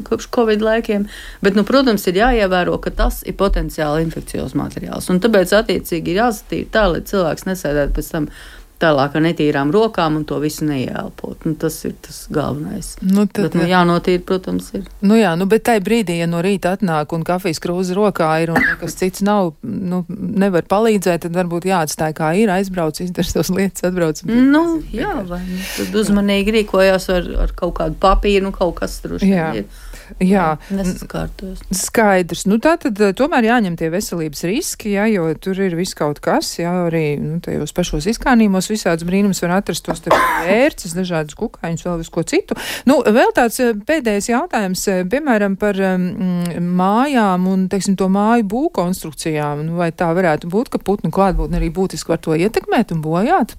kopš Covid laikiem, bet, protams, ir jāievēro, ka tas ir potenciāli infekcijos materiāls, un tāpēc attiecīgi ir jāsatīra tā, lai cilvēks nesēdētu pēc tam tālāk ar netīrām rokām un to visu neieelpot. Tas ir tas galvenais. Bet jānotīra, protams, ir. Bet tai brīdī, ja no rīta atnāk un kafijas krūze rokā ir un nekas cits nav, nevar palīdzēt, tad varbūt jāatstāj kā ir, aizbrauc, izdara savas lietas, atbrauc. Vai tad uzmanīgi rīkojās ar kaut kādu papīru, kaut kas droši ir. Jā, nesaskārtos. Skaidrs. Tātad tomēr jāņem tie veselības riski, jā, jo tur ir viss kaut kas, jā, arī tajos pašos izkānījumos visāds brīnums var atrast tos vērces, dažādus kukaiņus, vēl visko citu. Vēl tāds pēdējais jautājums, piemēram, par mājām un, teiksim, to māju būvkonstrukcijām. Vai tā varētu būt, ka putnu klātbūtne arī būtiski var to ietekmēt un bojāt?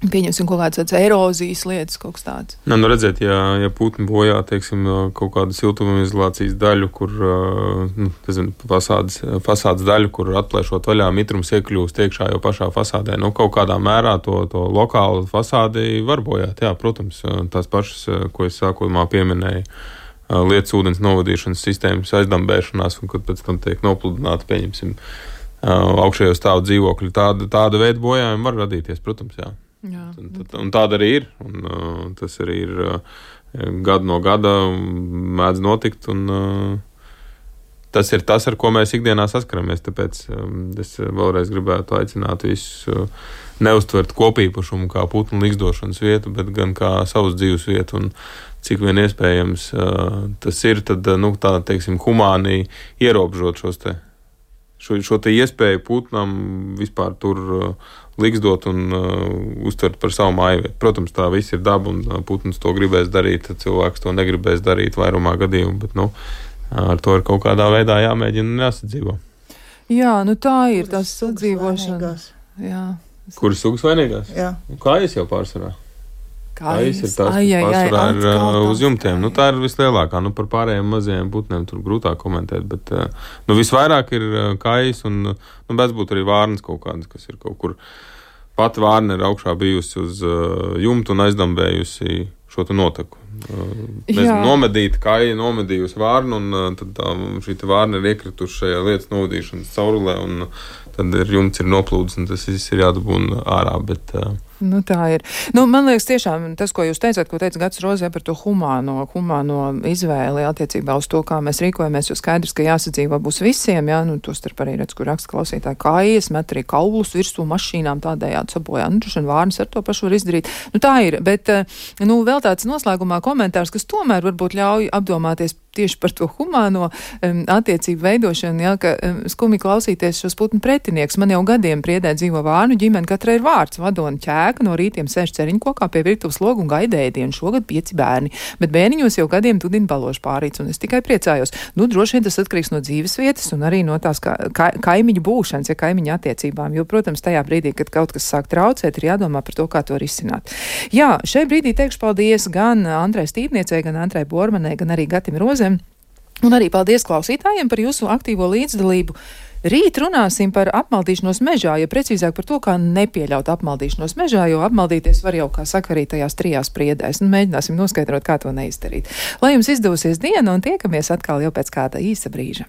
Pieņemsim kaut kādas erozijas lietas, kaut kas tāds. Redziet, ja putni bojā, teiksim, kaut kādu siltumizolācijas daļu, kur, fasādes daļu, kur atplēšot vaļā mitrums iekļūst iekšā jau pašā fasādē, kaut kādā mērā to lokālu fasādi var bojāt. Jā, protams, tās pašas, ko es sākumā pieminēju, lietas ūdens novadīšanas sistēmas aizdambēšanās, un kad pēc tam tiek nopludināti, pieņemsim, augšējo stāvu dzīvokļi. Tāda veida bojājumi var radīties, protams, jā. Un tāda arī ir, un tas arī ir gadu no gada mēdz notikt, un tas ir tas, ar ko mēs ikdienā saskaramies, tāpēc es vēlreiz gribētu aicināt visus neuztvert kopīpašumu kā putnu ligzdošanas vietu, bet gan kā savas dzīves vietu, un cik vien iespējams tas ir, tad, tā, teiksim, humāni ierobežot šo te iespēju putnam vispār tur ligzdot un uztvert par savu māju vietu. Protams, tā viss ir daba, un putns to gribēs darīt, cilvēks to negribēs darīt vairumā gadījumu, bet, ar to ir kaut kādā veidā jāmēģina un jāsadzīvo. Jā, tā ir tas sadzīvošana. Kuras sugas vainīgās? Jā. Kājas jau pārsvarā? Kājas ir tās, kas pārsvarā ir uz jumtiem. Tā ir vislielākā. Par pārējiem mazajiem putniem tur grūtāk komentēt, bet visvairāk ir kājas un bez būt arī vārnas kaut kādas, kas ir kaut kur. Pati vārna ir augšā bijusi uz jumtu un aizdambējusi šo te noteku. Nomedīta kāja, nomedījusi vārnu, un tad šī te vārna ir iekrituši šajā lietas novadīšanas caurulē, un tad jumts ir noplūdis, un tas viss ir jādabūna ārā, bet... Tā ir. Man liekas, tiešām tas, ko jūs teicāt, ko teica Gats Rozē par to humāno izvēli attiecībā uz to, kā mēs rīkojamies, jo skaidrs, ka jāsadzīvā būs visiem, jā, to starp arī redz, kur raksta klausītāji kājas, met arī kaulus virsū mašīnām tādējādi sabojā. Droši vien vārnas ar to pašu var izdarīt. Tā ir, bet, vēl tāds noslēgumā komentārs, kas tomēr varbūt ļauj apdomāties tieši par to humāno attiecību veidošanu, jā, ka skumi klausīties šos putnu pretinieks. Man jau gadiem Priedē dzīvo vārnu ģimene, katrai ir vārds, vadona ķēka, no rītiem sēž ceriņkokā pie virtuves logu un gaida ēdienu. Šogad 5 bērni, bet bērniņos jau gadiem tudina baložu pārīts, un es tikai priecājos. Droši vien tas atkarīgs no dzīves vietas un arī no tās kaimiņu būšanas, ja kaimiņu attiecībām, jo, protams, tajā brīdī, kad kaut kas sāk traucēt, ir jādomā par to, kā to risināt. Jā, šai brīdī teikšu paldies gan Andrai Stīpniecei, gan Andrai Bormanai, gan arī Gatim Rozēm. Un arī paldies klausītājiem par jūsu aktīvo līdzdalību. Rīt runāsim par apmaldīšanos mežā, ja precīzāk par to, kā nepieļaut apmaldīšanos mežā, jo apmaldīties var jau, kā saka, arī tajās 3 priedēs. Mēģināsim noskaidrot, kā to neizdarīt. Lai jums izdevusies diena un tiekamies atkal jau pēc kāda īsa brīža.